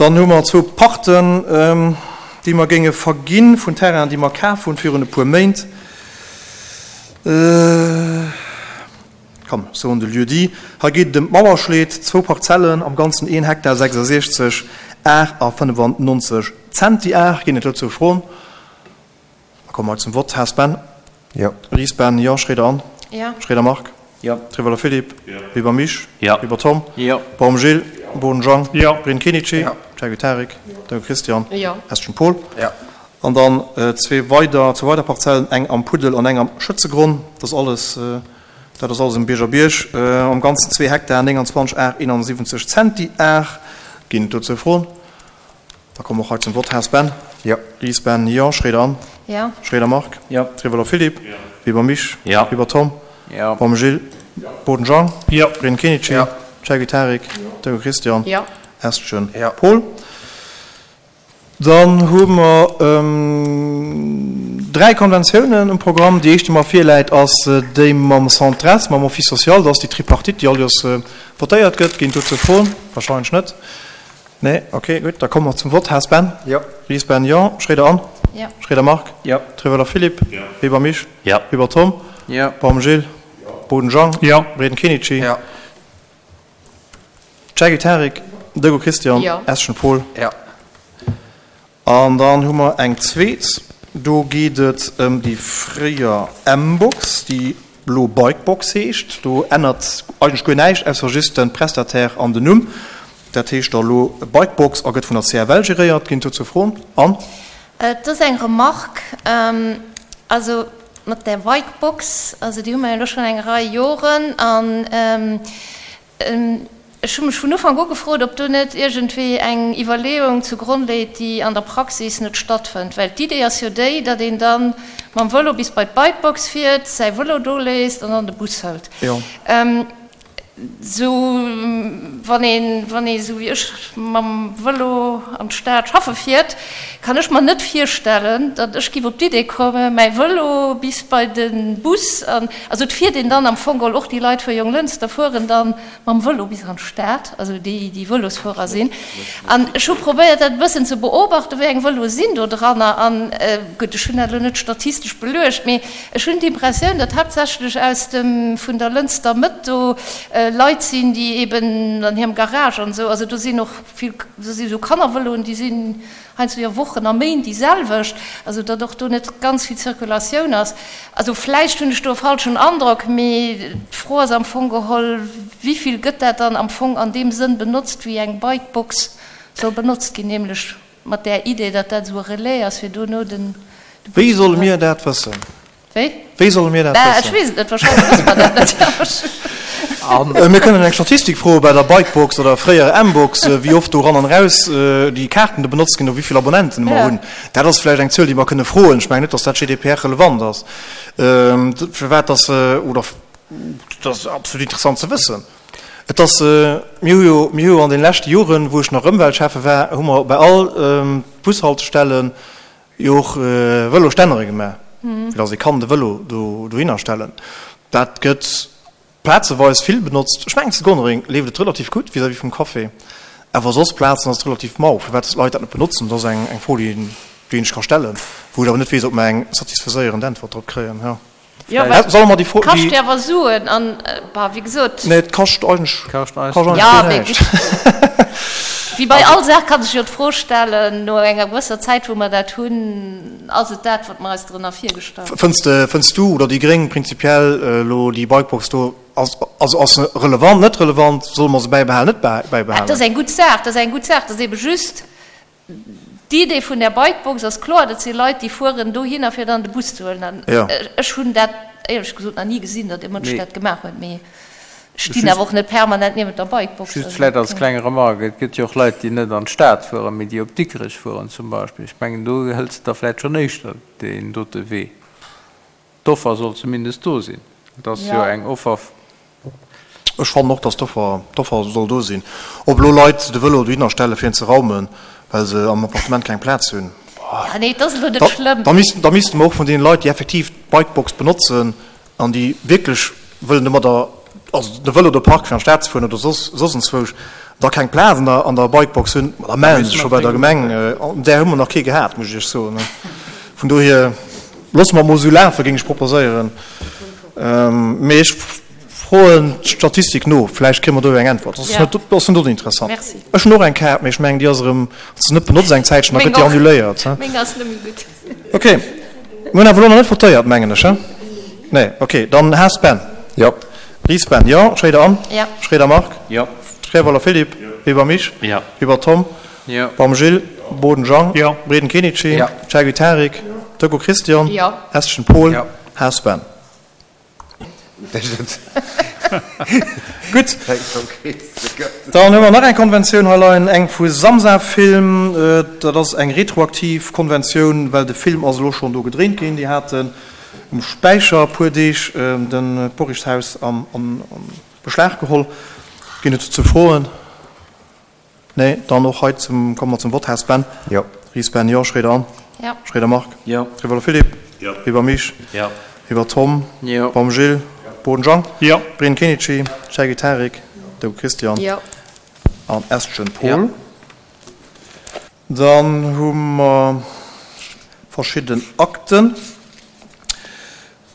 Dann hu mer zwou Parten, déi mer géinge verginn vun Terrainen, déi mer kaf hunn virun e puer Méint. Komm, ech soen de Lieu-dit. Hei geet et ëm d'Mauerschleed, zwou Parzellen, am Ganzen een Hektar 66 Ar a 95 Zentiar. Ginn et dozou Froen? Da komme mer zum Vott. Haas Ben? Jo. Ries Ben? Jo. Schroeder Anne? Jo. Schroeder Marc? Jo. Trewelle Philippe? Jo. Weber Misch? Jo. Weber Tom? Jo. Baum Gilles? Jo. Boden Jean? Jo. Breen Kenichi? Jo. Chagué Tarik? Jo. Döng Christian? Jo. Estgen Paul? Jo. An dann zwee weider, zwou weider Parzellen, eng am Puddel an eng am Schëtzegronn. Dat ass alles, dat ass alles um Bierger Bierg. Am Ganzen zwee Hektar, 29 Ar 71 Zentiar. Ginn et dozou Froen? Da komme mer och hei zum Vott. Haas Ben? Jo. Ries Ben? Jo. Schroeder Anne? Jo. Schroeder Marc? Jo. Trewelle Philippe? Jo. Weber Misch? Jo. Weber Tom? Jo. Baum Gilles? Jo. Boden Jean? Jo. Breen Kenichi? Jo. Chagué Tarik? Jo. Döng Christian? Jo. Estgen Jo. Paul? Dann hu mer dräi Konventiounen um Programm. Déi éischt, déi mer virläit, ass déi mam Centres, mam Office social. Dat ass déi Tripartite, déi all Joers votéiert gëtt. Ginn dozou Froen? Wahrscheinlech net. Nee? Okay, gutt. Da komme mer zum Vott. Haas Ben? Jo. Ries Ben? Jo. Schroeder Anne? Jo. Schroeder Marc? Jo. Trewelle Philippe? Jo. Weber Misch? Jo. Weber Tom? Jo. Baum Gilles? Jo. Boden Jean? Jo. Breden Kenichi? Jo. Jackie Tarik, Dego Christian, Jo. Eschen Paul. Jo. An dann hu mer eng zweet, do geet et ëm déi fréier M-Box, déi elo Bikebox heescht. Do ännert eigentlech guer näischt, ausser just de Prestataire an den Numm. Dat heescht da elo Bikebox a gëtt vun der CFL geréiert. Ginn dozou Froen? Anne? Et ass eng Remarque, also mat där Bikebox, also déi hu mer jo elo schonn eng Rei Joren an ech hu mech vun Ufank u gefrot, ob do net iergendwéi eng Iwwerleeung zu Gronn léit, déi an der Praxis net stattfënnt. Well d'Idee ass jo déi, datt een da mam Vëlo bis bei d'Bikebox fiert, säi Vëlo do léisst an dann de Bus hëlt. Sou wann een, wann ee sou wéi ech mam Vëlo an d'Stad schaffe fiert, kann ech mer net virstellen, datt ech giff op d'Idee kommen, mäi Vëlo bis bei de Bus an, also et fiert een dann am Fong geholl, och déi Leit vu Jonglënster fueren dann mam Vëlo bis an d'Stad, also déi, déi Vëlosfuerer sinn. An ech hu probéiert dat e bëssen ze beobachten, wéi eng Vëloe sinn do dranner an, gutt, ech hunn dat elo net statistesch beluecht, mee Ech hunn d'Impressioun, datt haaptsächlech aus dem, vun der Lënster Mëtt do Leit sinn, déi eben an hirem Garage an esou, also do sinn och vill, do si sou Kannervëloen, déi sinn heiansdo jo Wochen a Méint déi selwecht, also datt och do net ganz vill Zirkulatioun ass. Also vläicht hunn ech do e falschen Androck, mee d'Fro ass am Fong geholl, Wivill gëtt dat dann am Fong an deem Sënn benotzt, wéi eng Bikebox soll benotzt ginn, nämlech Mat där Idee, datt dat esou e Relais ass, fir dono den Bus Wéi solle mir dat wëssen? Wéi? Wéi solle mir dat Bah, wëssen? ech weess et net, wahrscheinlech wësse mer dat net. Mir kënnen eng Statistik froe bei der Bikebox oder fréier M-Box, wéi oft do ran an eraus déi Kaarten do benotzt ginn oder wéi vill Abonnenten mer hunn. Dat ass vläicht eng Zuel, déi mer kënne froen. Ech mengen net, datt dat GDPR-relevant ass. Firwat datt, oder dat ass absolut interessant ze wëssen. Et ass, mir hu jo, mir hu jo an de leschte Joren, wou ech nach Ëmweltschäffe war, hu mer bei all Bushaltestelle jo och Vëlostännere gemaach, fir datt ee kann de Vëlo do dohinner stellen. Dat gëtt plazeweis vill benotzt. Ech mengen zu Gonnereng leeft et relativ gutt vis-à-vis vum Café, awer soss Plazen ass et relativ mau. Firwat d'Leit dat net benotzen, dat ass eng Fro, déi een, déi een sech ka stellen, wou ech awer net weess, ob mer eng satisfaiséierend Äntwert drop kréien. Jo. Jo, well Solle mer déi Fro, kascht déi. jo awer Suen an, bah, wéi gesot. Nee, et kascht eigentlech, Kascht eis kascht näischt. eigentlech Ja, guer mee näischt. gutt. Wéi bei all Saach kann sech jo d'Fro stellen, no enger gewësser Zäit, wou mer dat hunn, ass et dat, wat mer eis drënner virgestallt hunn? Fënns de, fënns du oder déi Gréng prinzipiell elo déi Bikebox do, ass, also ass se relevant, net relevant, solle mer se bäibehalen, net bäibehalen? Dat ass eng gutt Saach, dat ass eng gutt Saach. Dat ass eebe just, D'Idee vun där Bikebox ass kloer, dat si Leit, déi fueren dohinner, fir dann de Bus ze huelen. An ech hunn dat éierlech gesot nach ni gesinn, datt e Mënsch dat gemaach huet. Mee ech stinn awer och net permanent niewent der Bikebox. Just vläicht als kleng Remarque, Et gëtt jo och Leit, déi net an d'Stad fueren, mee déi op Dikrech fueren zum Beispill. Ech mengen, do hëls de da vläicht schonn éischter deen dote Wee. D'Offer soll zumindest do sinn. Et ass jo eng Offer. Ech fannen och, dass d'Offer, d'Offer soll do sinn. Ob elo Leit de Vëlo dohinner stelle fir en ze raumen, well se am Appartement keng Plaz hunn, Ja, nee, et ass elo net schlëmm. da missten, da misste mer och vun deene Leit, déi effektiv d'Bikebox benotzen an déi wierklech wëllen domadder, also de Vëlo do parken fir an d'Stad ze fueren oder soss, soss enzwousch. Da keng Plaz an der, an der Bikebox hunn, ma da mellen se sech scho bei der Gemeng. An där hu mer nach kee gehat, muss ech Iech soen. Vun dohier loosse mer emol esou lafen, géing ech proposéieren. Mee ech froen d'Statistik no, vläicht kréie mer do jo eng Äntwert. Dat ass net, dat ass net oninteressant. Merci. Ech hunn och eng Kaart, mee ech mengen, déi ass erëm, wann s de net benotz eng Zäitchen, da gëtt déi annuléiert. Meng ass net méi gutt. Ok, mir hunn awer elo nach net votéiert, mengen ech, he? Nee, ok, dann Haas Ben. Jo. Ries Ben, jo. Schréider Anne. Jo. Schréider Marc. Jo. Treweiler Philippe. Jo. Weber Mich. Jo. Weber Tom. Jo. Baum Gilles. Boden Jean. Jo. Breden Kenichi. Jo. Chaguy Tarik. Jo. Decaux Christian. Jo. Estgen Paul. Jo. Haas Ben. Gutt, dann hu mer nach eng Konventioun hei leien, eng vu Samsa Film. Dat ass eng retroaktiv Konventioun, well de Film ass elo schonn do gedréint ginn. Déi haten um Späicher e puer Deeg de Porrichshaus an Beschlag geholl. Ginn et dozou Froen? Nee, dann och hei zum, komme mer zum Vott. Haas Ben. Jo. Ries Ben, jo. Schroeder Anne. Jo. Schroeder Marc. Jo. Rivola Philippe. Jo. Weber Mich. Jo. Weber Tom. Jo. Baum Gilles. Jo. Boden Jean. Jo. Breen Kenichi. Chergui Tarik. Deu Christian. Jo. An Estgen Paul. Jo. Dann hu mer verschidden Akten.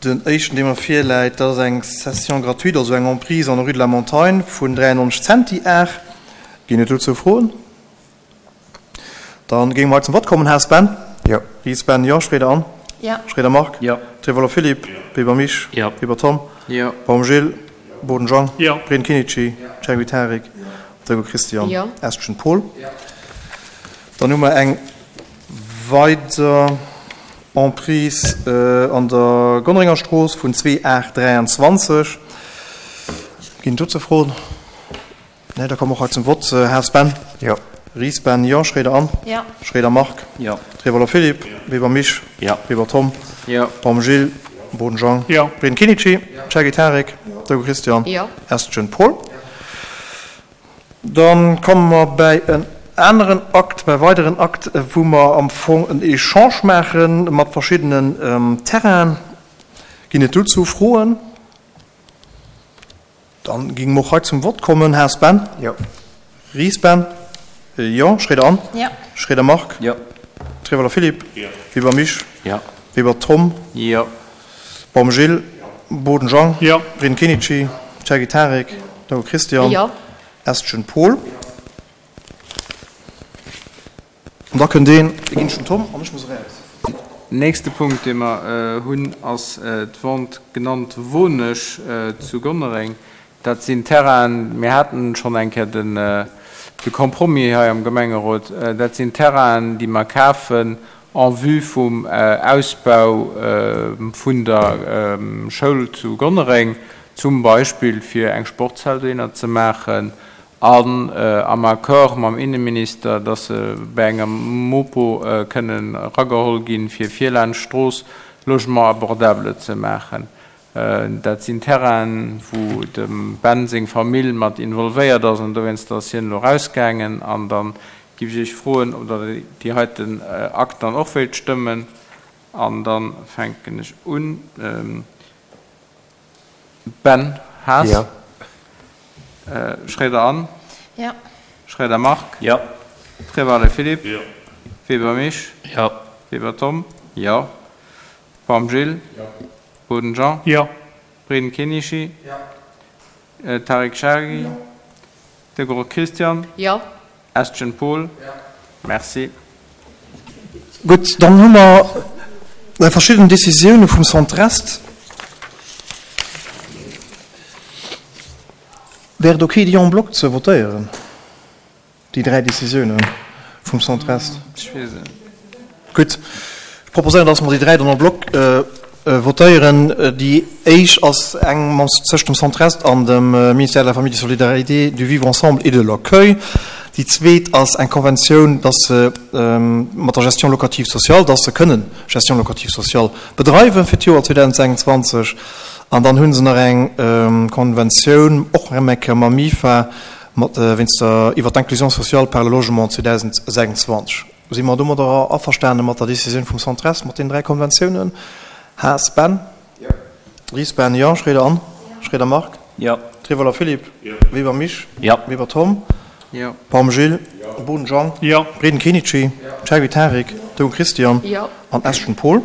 Den éischten, dee mer virläit, dat ass eng Cession gratuite, also eng Emprise an der Rue de la Montagne vun 93 Centiar. Ginn et dozou Froen? Da géinge mer hei zum Vott kommen. Haas Ben? Jo. Ries Ben, Jo. Schroeder Anne? Jo. Schroeder Marc? Jo. Trevolo Philippe? Jo. Weber Mich? Jo. Weber Tom? Jo. Baum Gilles? Boden Jean? Jo. Breen Kinici? Jo. Chergui Tarik? Jo. Dräibuer Christian? Jo. Estgen Paul? Jo. Dann hu mer eng weider Emprise an der Gonnerenger Strooss vun 2823. Ginn et dozou Froen? Nee, da komme mer och hei zum Vott. Haas Ben? Jo. Ries Ben, jo. Schroeder Anne? Jo. Schroeder Marc? Jo. Trewolwer Philippe? Jo. Weber Mich? Jo. Weber Tom? Jo. Baum Gilles? Boden Jean? Jo. Breen Kinici? Jo. Chergui Tarik? Jo. Deugo Christian? Jo. Estgen Paul? Dann komme mer bäi en aneren Akt, bäi weideren Akt, wou mer am Fong en Echange maache mat verschiddenen Terrainen. Ginn et dozou Froen? Dann géinge mer och hei zum Vott kommen. Haas Ben? Jo. Ries Ben? Jo. Schroeder Anne? Jo. Schroeder Marc? Jo. Treweiler Philippe? Jo. Weber Mich? Jo. Weber Tom? Jo. Baum Gilles? Boden Jean? Jo. Breen Kenichi? Chergui Tarik? Dau Christian? Jo. Estgen Paul? An da kënnt een, dee ginn ech dem Tom an ech muss eraus. Nächste Punkt, dee mer hunn, ass d'Vente genannt Wonesch zu Gonnereng. Dat sinn Terrainen, mir haten schonn eng Kéier de Compromis hei am Gemengerot, dat sinn Terrainen, déi mer kafen en vue vum Ausbau vun der Schoul zu Gonnereng, zum Beispill fir eng Sportshal dohinner ze maachen an am Accord mam Inneminister, dass se bei enger Mopo kënnen erageholl ginn, fir vir laanscht d'Strooss Logement abordable ze maachen. Dat sinn Terrainen, wou dem Ben seng Famill mat involvéiert ass an dowéinster ass hien elo erausgaangen. An da giff ech Iech froen, ob Der déi heiten Akt dann och wéilt stëmmen. An da fänken ech un. Ben Haas. Jo. Schroeder Anne. Jo. Schroeder Marc. Jo. Trevalle Philippe. Jo. Weber Mich. Jo. Weber Tom. Jo. Baum Gilles. Jo. Boden Jean. Jo. Breden Kenichi. Jo. Tarik Chergui. Jo. De Gros Christian. Jo. Estgen Paul. Jo. Merci. Gutt, dann hu mer verschidden Décisioune vum Centrest. Wär et okay, déi en bloc ze votéieren, déi dräi Décisioune vum Centrest? Ech weess et net. Gutt, ech proposéieren, dass mer déi dräi dann en bloc votéieren. Déi éischt ass eng mam tëscht dem Centre-Est an dem Ministère de la Famille, des Solidarités, du Vivre ensemble et de l'accueil. Déi zweet ass eng Konventioun, dass se mat der Gestion locative sociale, dass se kënnen Gestion locative sociale bedreiwen fir d'Joer 2026. An dann hu se nach eng Konventioun, och erëm eng Kéier mam MIFA, mat wéinst der iwwer d'Inclusion sociale par le logement 2026. Si mer domadder averstane mat der Décisioun vum Centres, mat deenen dräi Konventiounen? Haas Ben? Jo. Ries Ben? Jo. Schroeder Anne? Jo. Schroeder Marc? Jo. Trevoller Philippe? Jo. Weber Mich? Jo. Weber Tom? Jo. Baum Gilles, Boden Jean, Jo. Breden Kenichi, Cherry Tarik, Doung Christian Jo. an Eschen Paul.